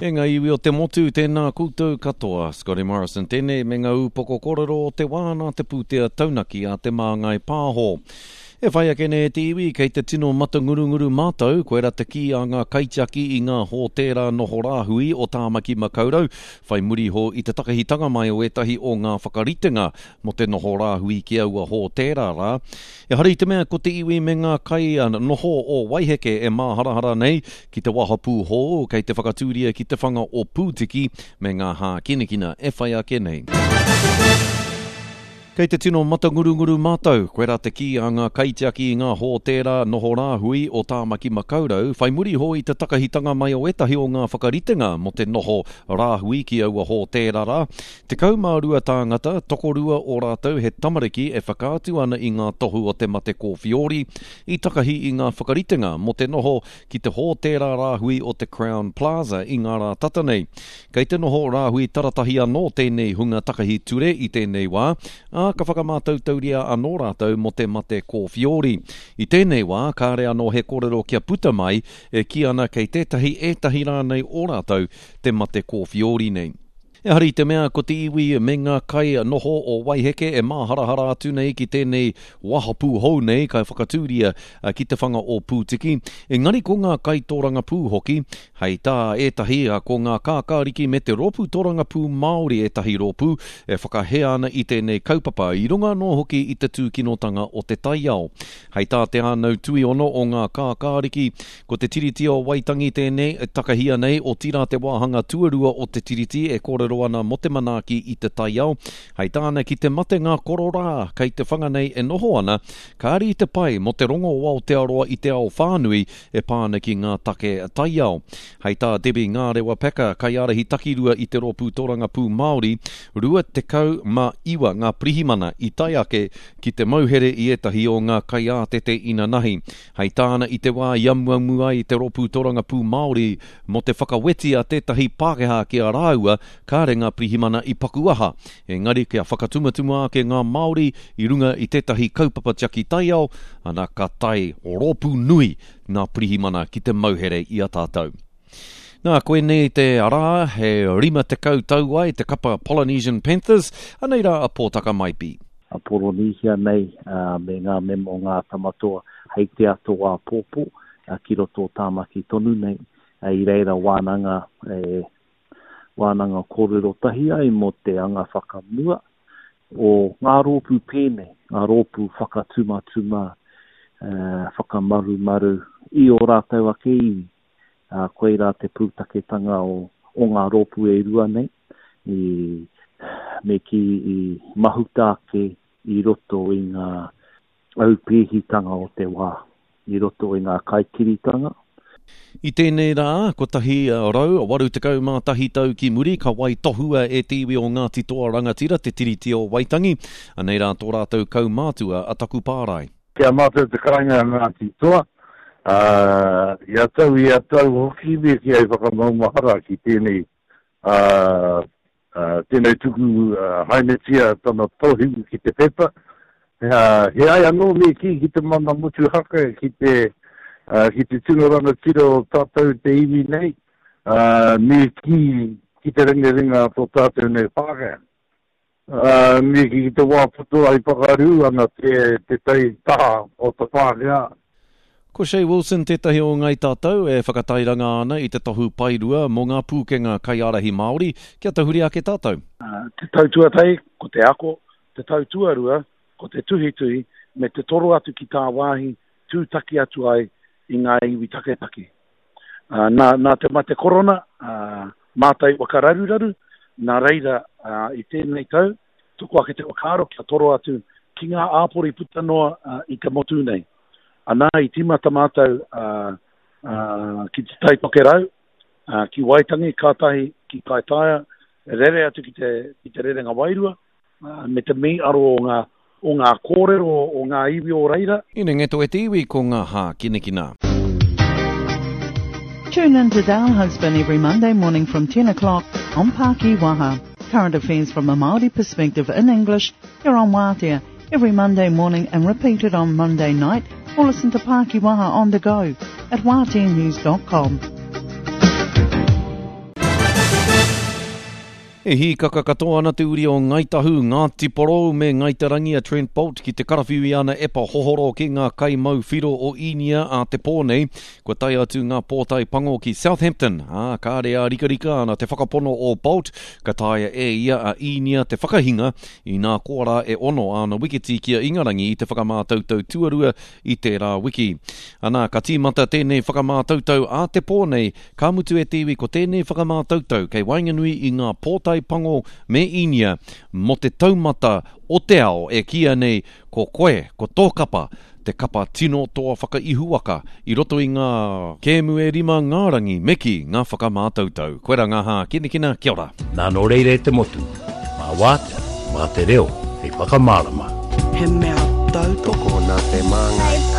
E ngā iwi o te motu, tēnā koutou katoa. Scotty Morrison tēnei me ngā ūpoko kōrero o te wā nā te pūtea taunaki a Te Māngai Pāho. E whai ake nei e te iwi, kei te tino matangurunguru mātou, koirā te kī a ngā kaitiaki i ngā hōtēra noho rāhui o Tāmaki Makaurau, whai muri iho i te takahitanga mai o ētahi o ngā whakaritenga mō te noho rāhui ki aua hōtēra rā. Ehara i te mea ko te iwi me ngā kai noho o Waiheke e māharahara nei ki te wahapū hou kei te whakatūria ki te whanga o Pūtiki me ngā hākinakina e whai ake nei. Kei te tino matangurunguru mātou, koirā te kī a ngā kaitiaki i ngā hōtēra noho rāhui o Tāmaki Makaurau, whai muri iho i te takahitanga mai o ētahi o ngā whakaritenga mō te noho rāhui ki aua hōtēra rā. 12 tāngata, tokorua o rātou he tamariki e whakaatu ana i ngā tohu o te mate kōwhiori, i takahi i ngā whakaritenga mō te noho ki te hōtēra rāhui o te Crowne Plaza i ngā rā tata nei. Kei te noho rāhui taratahi anō tēnei hunga takahi ture i tēnei wā, ā, ka whakamātautauria anō rātou mō te mate kōwhiori. I tēnei wā, kāre anō he kōrero kia puta mai e kī ana kei tētahi, ētahi rānei o rātou te mate kōwhiori nei. Ehara i te mea ko te iwi me ngā kai noho o Waiheke e māharahara atu nei ki tēnei wahapū hou nei kai whakatūria ki te whanga o Pūtiki, engari ko ngā kaitōrangapū hoki, hei tā ētahi ko ngā kākāriki me te Rōpū Tōrangapū Māori ētahi rōpū e whakahē ana i tēnei kaupapa i runga anō hoki i te tūkinotanga o te taiao. Hei tā Te Ānau Tuiono o ngā kākāriki, Ko te Tiriti o Waitangi tēnei e takahia nei, otirā te wāhanga tuarua o te Tiriti e kōrero ana mō te manaaki i te taiao. Hei tāna ki te mate ngā kororā kei te whanga nei e noho ana, kāre i te pai mō te rongo o Aotearoa i te ao whānui e pā ana ki ngā take taiao. Hei tā Debbie Ngārewa Packer, kaiārahi takirua i te Rōpū Torangapū Māori, 29 ngā pirihimana i tae ake ki te mauhere i ētahi o ngā kaiātete inanahi. Hei tāna i te wā i amuamu ai te Rōpū Torangapū Māori mō te whakaweti a tētahi Pākehā ki a rāua, kāre ngā pirihimana i paku aha. Engari kia whakatumatuma ake ngā Māori i runga i tētahi kaupapa tiaki taiao, ana ka tae rōpū nui ngā pirihimana ki te mauhere i a tātou. Nā, koinei te arā he 50 tau ai te kapa Polynesian Panthers, anei rā a Pōtaka Maipi. A Poronīhia nei me ngā mema o Ngā Tamatoa hei te ato āpōpō ki roto o Tāmaki tonu nei. I reira wānanga, e, wānanga kōrero tahi ai mō te anga whakamua o ngā rōpū pēnei, ngā rōpū whakatumatuma, whakamarumaru i ō rātou ake iwi. Ā, koirā te pūtaketanga o, o ngā rōpū e rua nei, i, me kī i mahuta ake i roto i ngā aupēhitanga o te wā, i roto i ngā kaikiritanga. I tēnei rā, 181 tau ki muri, ka waitohua e te iwi o Ngāti Toa Rangatira te Tiriti o Waitangi. Anei rā tō rātou kaumātua a Takupārae. Ki a mātou te kāinga a Ngāti Toa, ā, ia tau, ia tau hoki me kī hei whakamaumahara ki tēnei, ā, tēnei tuku haenetia tana tohu ki te pepa. He ai anō me kī ki te mana motuhake, ki te, ki te tino rangatira o tātou te iwi nei, ā, me kī ki te rengarenga a tō tātou nei Pākehā. Ā, me kī ki te wā poto ai whakarū ana te, te tai taha o te Pākehā. Ko Che Wilson tētahi o Ngai Tātou e whakatairanga ana i te tohu paerua mō ngā pūkenga kaiārahi Māori, kia tahuri ake tātou. Te tau tuatahi, ko te ako, te tau tuarua, ko te tuhituhi, me te toro atu ki tāwāhi tūtaki atu ai i ngā iwi taketake. Nā, nā te mate korona, mātai waka raruraru, nā reira i tēnei tau, toko ake te whakaaro kia toro atu ki ngā āpori puta noa i te motu nei. Anā, i tīmata mātou ki Te Tai Tokerau, ki Waitangi, kātahi ki Kaitaia, rere atu ki te, ki te Rerenga Wairua, me te mīaro o ngā, o ngā kōrero o ngā iwi o reira. Inengeto e te iwi ko ngā hākinakina. Tune in to Dale Husband every Monday morning from 10 o'clock on Paki Waha. Current affairs from a Māori perspective in English here on Wātea every Monday morning and repeated on Monday night or listen to Paki Waha on the go at wāteanews.com. E hīkaka katoa ana te uri o Ngāi Tahu, Ngāti Porou me Ngāi Te Rangi a Trent Boult ki te karawhiu i ana epa hohoro ki ngā kaimau whiro o Īnia ā te pō nei. Kua tae atu ngā pōtae pango ki Southampton, ā, kāre ārikarika ana te whakapono o Boult ka taea e ia a Īnia te whakahinga, inā koa rā e ono āna wiketi ki a Ingarangi i te whakamātautau tuarua i tērā wiki. Anā, ka tīmata tēnei whakamātautau ā te pō nei Ka mutu e te iwi ko tēnei whakamātautau kei waenganui i ngā pōtae pango me Īnia mō te taumata o te ao e kīia nei ko koe, ko tō kapa, te kapa tino toa whakaihuwaka i roto i ngā kēmu e rima ngā rangi me kī ngā whakamātautau. Koirā ngā hākinakina, kia ora. Nā nō reira e te motu, mā Wātea, mā te reo hei whakamārama. He mea tautoko. Tokona te māngai.